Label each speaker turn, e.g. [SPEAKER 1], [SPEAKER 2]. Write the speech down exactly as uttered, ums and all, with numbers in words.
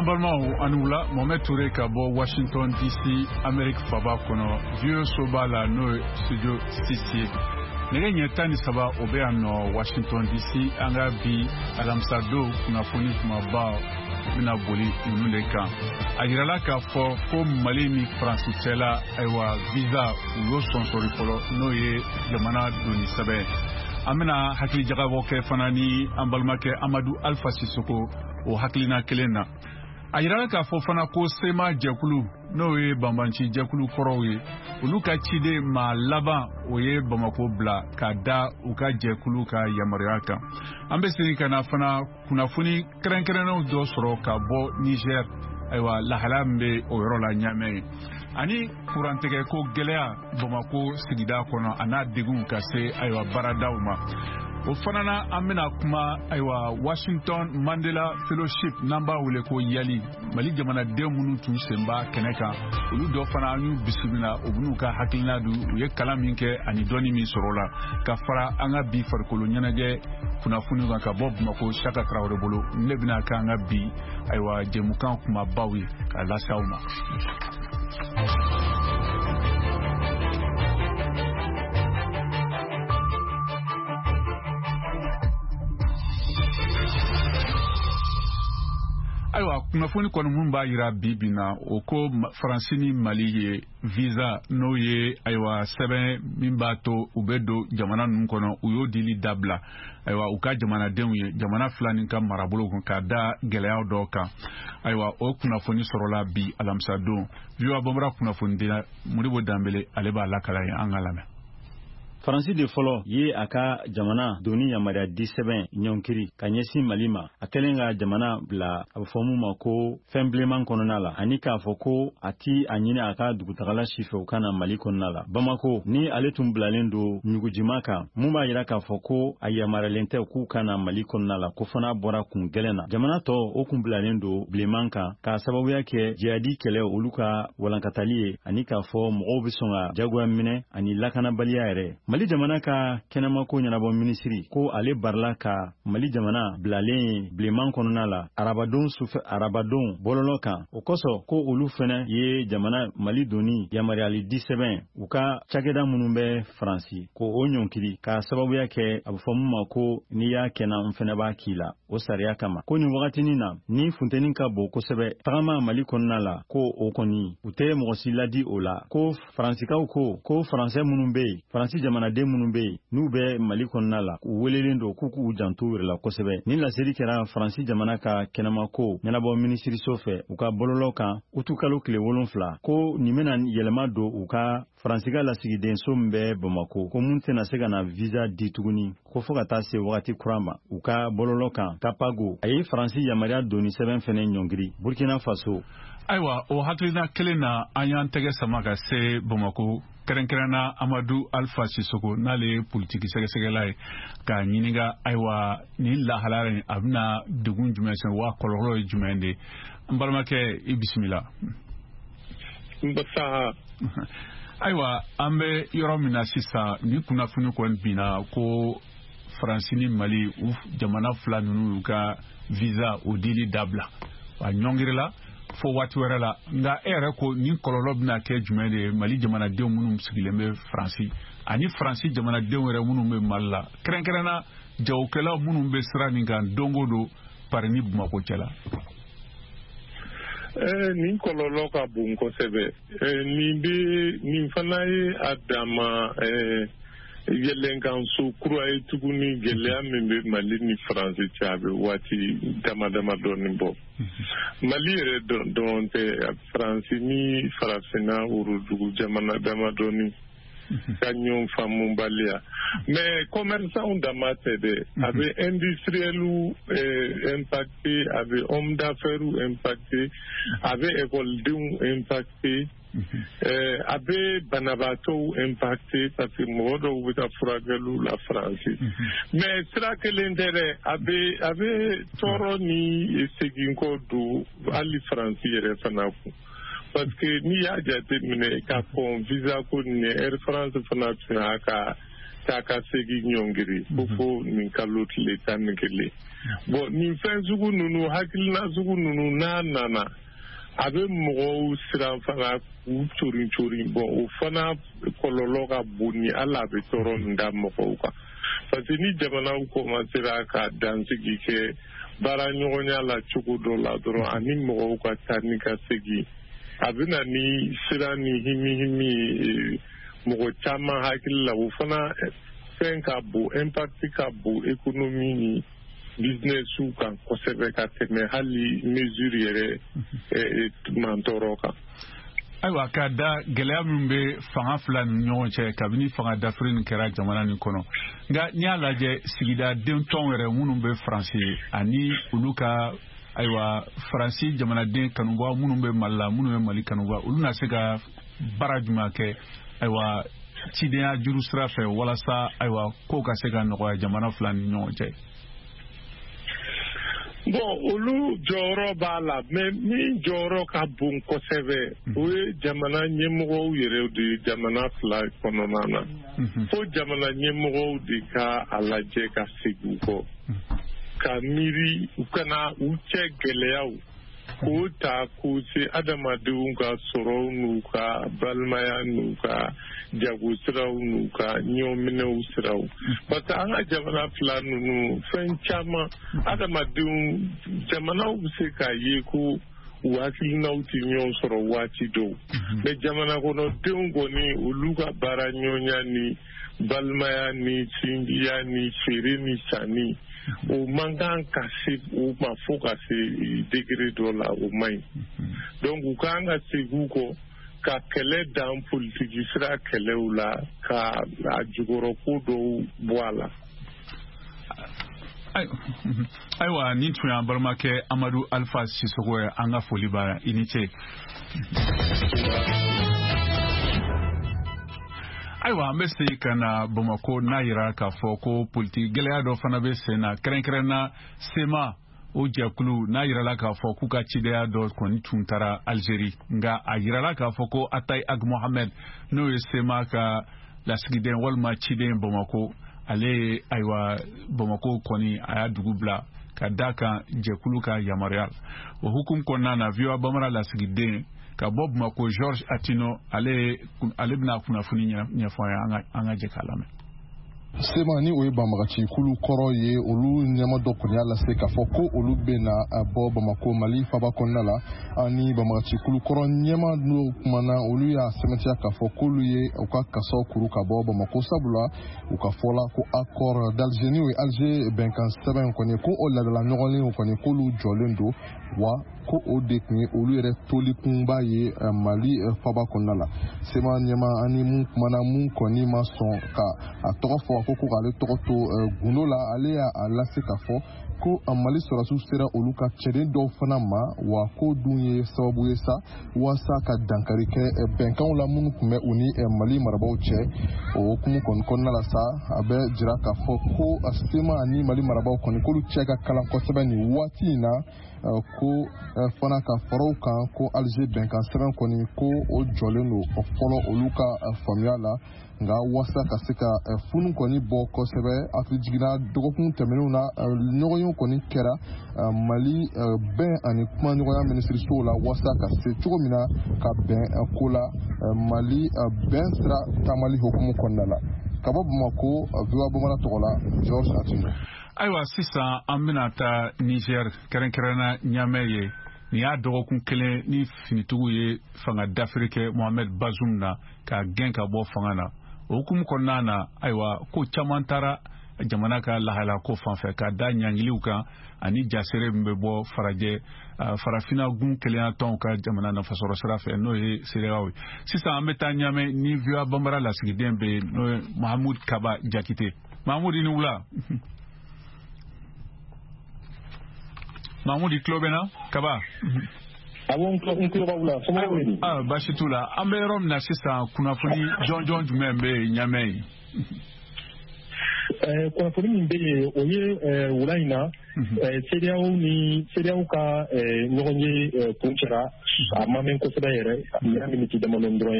[SPEAKER 1] An balimaw, ani wula. Mohamed Touré ka bɔ Washington D C, Amérique faba kɔnɔ, V O A soba la, n'o ye studio six ye. Nɛgɛ ɲɛ tan ni saba o bɛ yan nɔ Washington D C. An ka bi alamisa don kunnafoni kumaba bɛna boli ninnu de kan. A yirala k'a fɔ ko Mali ni Faransi cɛla, ayiwa, visa u y'o sɔnsɔri fɔlɔ, n'o ye jamana doni sɛbɛn. An bɛna hakili jagabɔ kɛ fana ni an balimakɛ Amadu Alpha Sisoko o hakilina kelen na. A yirala k'a fɔ fana ko C M A jɛkulu, n'o ye banbanci jɛkulu kɔrɔw ye, olu ka ciden maa laban o ye Bamako bila ka da u ka jɛkulu ka yamaruya kan. An bɛ segin ka na fana kunnafoni kɛrɛnkɛrɛnnenw dɔ sɔrɔ ka bɔ Niger, ayiwa, lahalaya min bɛ o yɔrɔ la Ɲamɛ ye, ani kurantigɛ ko gɛlɛya Bamako sigida kɔnɔ, a n'a degun ka se, ayiwa, baaradaw ma. O fana na, an bɛna kuma, ayiwa, Washington Mandela Fellowship, n'an b'a wele ko YALI, Mali jamanaden minnu tun sen b'a kɛnɛ kan, olu dɔ fana an y'u bisimila, u bɛn'u ka hakilina di, u ye kalan min kɛ ani dɔnni min sɔrɔ o la, ka fara an ka bi farikolo ɲɛnajɛ kunnafoniw kan ka bɔ Bamako, Saka Tarawele bolo. Ne bɛna kɛ an ka bi, ayiwa, jɛmukan kumabaw ye k'a lase aw ma. Ayiwa, kunnafoni kɔni mun b'a yira bi bi na, o ko Faransi ni Mali ye visa, n'o ye, ayiwa, sɛbɛn min b'a to u bɛ don jamana ninnu kɔnɔ, u y'o dili dabila, ayiwa, u ka jamanadenw ye jamana fila nin ka marabolo kun, ka da gɛlɛyaw dɔw kan. Ayiwa, o kunnafoni sɔrɔla bi alamisa don. V O A Bambara kunnafonidila Modibo Danbele, ale b'a lakala ye, an ka lamɛn.
[SPEAKER 2] Faransi de fɔlɔ ye a ka jamana doni yamaruya di sɛbɛn ɲɔnkiri ka ɲɛsin Mali ma, a kɛlen ka jamana bila a bɛ fɔ mun ma ko fɛn bilenman kɔnɔna la, ani k'a fɔ ko a ti a ɲini a ka dugutagala si fɛ u ka na Mali kɔnɔna la. Bamako ni ale tun bilalen don ɲugujima kan, mun b'a yira k'a fɔ ko a yamaruyalen tɛ k'u ka na Mali kɔnɔna la, ko fana bɔra kun gɛlɛn na. Jamana tɔ o kun bilalen don bilenman kan k'a sababuya kɛ jihadi kɛlɛ olu ka walankatali ye, ani k'a fɔ mɔgɔw bɛ sɔn ka jagoya minɛ ani lakanabaliya yɛrɛ. Mali jamana ka kɛnɛmako ɲɛnabɔ minisiri ko ale barila ka Mali jamana bilalen bilenman kɔnɔna la arabadon sufɛ, arabadon bɔlɔlɔ kan. O kosɔn ko olu fɛnɛ ye jamana Mali doni yamaruyali di sɛbɛn u ka cakɛda minnu bɛ Faransi ko o ɲɔnkiri, k'a sababuya kɛ a bɛ fɔ mun ma ko n'i y'a kɛnɛ n fɛnɛ b'a k'i la, o sariya kama. Ko nin wagatinin na ni funteni ka bon kosɛbɛ, tagama Mali kɔnɔna la, ko o kɔni u tɛ mɔgɔ si ladi o la. Ko Faransikaw ko ko Faransɛ minnu bɛ yen, Faransi jamanaden minnu bɛ yen n'u bɛ Mali kɔnɔna la, u welelen don k'u k'u janto u yɛrɛ la kosɛbɛ. Nin laseli kɛra Faransi jamana ka kɛnɛmako ɲɛnabɔ minisiriso fɛ u ka bɔlɔlɔ kan utukalo tile wolonfila, ko nin bɛna yɛlɛma don u ka Faransi ka lasigidenso min bɛ Bamako, ko mun tɛna se ka na visa di tuguni, ko fo ka taa se wagati kura ma. U ka bɔlɔlɔ kan Capago, a ye Faransi yamaruya doni sɛbɛn fɛnɛ ɲɔngiri Burkina Faso.
[SPEAKER 1] Ayiwa, o hakilina kelen na, an y'an tɛgɛ sama ka se Bamako, kɛrɛnkɛrɛnna Amadu Alpha Sisoko, n'ale ye politiki sɛgɛsɛgɛla ye, k'a ɲininka, ayiwa, nin lahalaya in a bɛna degun jumɛn se wa kɔlɔlɔ ye jumɛn de? N balimakɛ, i bisimila. Ayiwa, an bɛ yɔrɔ min na sisan, ni kunnafoni kɔni binna ko Faransi ni Mali, u jamana fila ninnu y'u ka visa o dili dabila, a ɲɔngirila fo waati wɛrɛ la. Nka e yɛrɛ ko nin kɔlɔlɔ bɛna kɛ jumɛn de ye Mali jamanadenw minnu sigilen bɛ Faransi, ani Faransi jamanadenw yɛrɛ minnu bɛ Mali la, kɛrɛnkɛrɛnna jagokɛlaw minnu bɛ sira nin kan don o don Pari ni Bamako cɛ la?
[SPEAKER 3] Nin kɔlɔlɔ ka bon kosɛbɛ. Nin bɛ nin fana ye a dama yɛlɛnkanso kura ye tuguni, gɛlɛya min bɛ Mali ni Faransi cɛ, a bɛ waati dama dama dɔɔni bɔ. Mali yɛrɛ dɔrɔn tɛ, Faransi ni Farafinna worodugu jamana dama dɔɔni ka ɲɔgɔn faamubaliya. Mais commerçant dama tɛ dɛ, a bɛ industriels impacté, a bɛ homme d'affaires impacté, a bɛ ekɔlidenw impacté, a bɛ banabaatɔw impacté, parce que mɔgɔ dɔw bɛ taa furakɛliw la Faransi. Mais sira kelen tɛ dɛ, a bɛ a bɛ tɔɔrɔ ni seginkɔ don hali Faransi yɛrɛ fana kun, parce que n'i y'a jateminɛ ka kɔn visa ko nin, Air France fana tun y'a ka taa ka segin ɲɔngiri ko fo nin kalo tile tan ni kelen. Bon, nin fɛn sugu ninnu, hakilina sugu ninnu, n'a nana, a bɛ mɔgɔw siran fana k'u corin corin. Bon, o fana kɔlɔlɔ ka bon ni hali a bɛ tɔɔrɔ min da mɔgɔw kan, parce que ni jamanaw commencera ka dansigi kɛ baara ɲɔgɔnya la cogo dɔ la dɔrɔn, ani mɔgɔw ka taa ni ka segin, a bɛ na ni siran ni himi himi ye mɔgɔ caman hakili la. O fana fɛn ka bon, impact ka bon économie ni business kan kosɛbɛ ka tɛmɛ hali mesure yɛrɛ mantɔɔrɔ kan.
[SPEAKER 1] Ayiwa, ka da gɛlɛya min bɛ fanga fila ni ɲɔgɔn cɛ kabini fanga dafiri nin kɛra jamana nin kɔnɔ, nka n'i y'a lajɛ, sigidaden tɔnw yɛrɛ minnu bɛ Faransi ani olu ka, ayiwa, Faransi jamanaden kanubaga minnu bɛ Mali la, minnu bɛ Mali kanubaga, olu na se ka baara jumɛn kɛ, ayiwa, cidenya juru sira fɛ, walasa, ayiwa, kow ka se ka nɔgɔya jamana fila ni ɲɔgɔn cɛ?
[SPEAKER 3] Bon, olu jɔyɔrɔ b'a la, mais min jɔyɔrɔ ka bon kosɛbɛ, o ye jamana ɲɛmɔgɔw yɛrɛ de ye jamana fila kɔnɔna na. Fo jamana ɲɛmɔgɔw de ka a lajɛ ka segin u kɔ ka miiri, u kana u cɛ gɛlɛyaw k'o ta k'o se adamadenw ka sɔrɔw n'u ka balimaya n'u ka jago siraw n'u ka ɲɔminɛw siraw, parce que an ka jamana fila ninnu, fɛn caman, adamadenw, jamanaw bɛ se k'a ye ko u hakilinaw tɛ ɲɔgɔn sɔrɔ waati dɔw, mais jamana kɔnɔdenw kɔni, olu ka baara ɲɔgɔnya ni balimaya ni sinjiya ni feere ni sanni, o man kan ka se o ma fo ka se degré dɔ la, o man ɲi. Donc u kan ka segin u kɔ ka kɛlɛ dan politiki sira kɛlɛw la, ka a jukɔrɔ ko dɔw bɔ a la.
[SPEAKER 1] Ayiwa, nin tun y'an balimakɛ Amadu Alpha Sisoko ye. An ka foli b'a, i ni ce. Ayiwa, an bɛ segin ka na Bamako, n'a yira k'a fɔ ko politiki gɛlɛya dɔ fana bɛ sen na, kɛrɛnkɛrɛn na SEMA o jɛkulu, n'a yirala k'a fɔ k'u ka cidenya dɔ kɔni tun taara Algérie, nka a yirala k'a fɔ ko Atayi Ag Mohamed, n'o ye SEMA ka lasigiden walima ciden Bamako, ale ye, ayiwa, Bamako kɔni a y'a dugu bila ka da kan jɛkulu ka yamaruya. O hukumu kɔnɔna na, V O A Bambara lasigiden ka bɔ Bamako, Georges Atino, ale ale bɛna kunnafoni ɲɛfɔ an ye. An ka jɛ k'a lamɛn.
[SPEAKER 4] SEMA, ni o ye banbagaci kulu kɔrɔ ye, olu ɲɛma dɔ kɔni y'a lase k'a fɔ ko olu bɛna bɔ Bamako, Mali faba kɔnɔna la. Ani banbagaci kulu kɔrɔ ɲɛma n'o kumana, olu y'a sɛmɛntiya k'a fɔ k'olu ye u ka kasaw kuru ka bɔ Bamako, sabula u ka fɔ la ko accord d'Alger, ni o ye Alger bɛnkan sɛbɛn kɔni, ko o ladala ɲɔgɔnlenw kɔni, k'olu jɔlen don, wa ko o de tun ye olu yɛrɛ tolikunba ye Mali faba kɔnɔna la. SEMA ɲɛma ani mun kumana, mun kɔni ma sɔn ka a tɔgɔ fɔ, ko ko k'ale tɔgɔ to gundo la, ale y'a lase k'a fɔ ko Mali sɔrɔdasiw sera olu ka cɛden dɔw fana ma, wa ko dun ye sababu ye sa walasa ka dankari kɛ bɛnkanw la minnu tun bɛ u ni Mali marabaaw cɛ. O hukumu kɔni kɔnɔna la sa, a bɛ jira k'a fɔ ko SEMA ani Mali marabaaw kɔni, k'olu cɛ ka kalan kosɛbɛ nin waati in na, ko fana ka fara o kan ko Alger bɛnkan sɛbɛn kɔni, ko o jɔlen don fɔlɔ olu ka faamuya la. Nka walasa ka se ka funu kɔni bɔ kosɛbɛ, hakili jiginna dɔgɔkun tɛmɛnenw na, ɲɔgɔnyew kɔni kɛra Mali bɛn ani kumaɲɔgɔnya minisirisow la, walasa ka se cogo min na ka bɛn ko la Mali bɛn sira taamali hukumu kɔnɔna la. Ka bɔ Bamako, V O A Bambara tɔgɔ la, Georges Atino.
[SPEAKER 1] Ayiwa, sisan an bɛna taa Niger, kɛrɛnkɛrɛnna Niamey ye. Nin y'a dɔgɔkun kelen ni finitigiw ye fanga dafiri kɛ Mohamed Bazoum na k'a gɛn ka bɔ fanga na. O hukumu kɔnɔna na, ayiwa, ko caman taara jamana ka lahala ko fanfɛ ka da ɲangiliw kan ani jasere min bɛ bɔ farajɛ farafinna gun kelenya tɔnw ka jamana nafasɔrɔ sira fɛ, n'o ye CEDEAO ye. Sisan an bɛ taa Niamey ni V O A Bambara lasigiden bɛ yen, n'o ye Mahamud Kaba Jakite. Mahamud, i ni wula. Mahmoud, i tulo bɛ na Kaba?
[SPEAKER 5] Awɔ, n tulo b'aw la. Somɔgɔw bɛ di?
[SPEAKER 1] Ah, baasi t'u la. An bɛ yɔrɔ min na sisan, kunnafoni jɔnjɔn jumɛn bɛ yen Niamey?
[SPEAKER 5] Kunnafoni min bɛ yen, o ye wula in na CEDEAO ni CEDEAO ka ɲɔgɔn ye kuncɛra, a ma mɛn kosɛbɛ yɛrɛ, nin y'a miniti damadɔ dɔrɔn ye.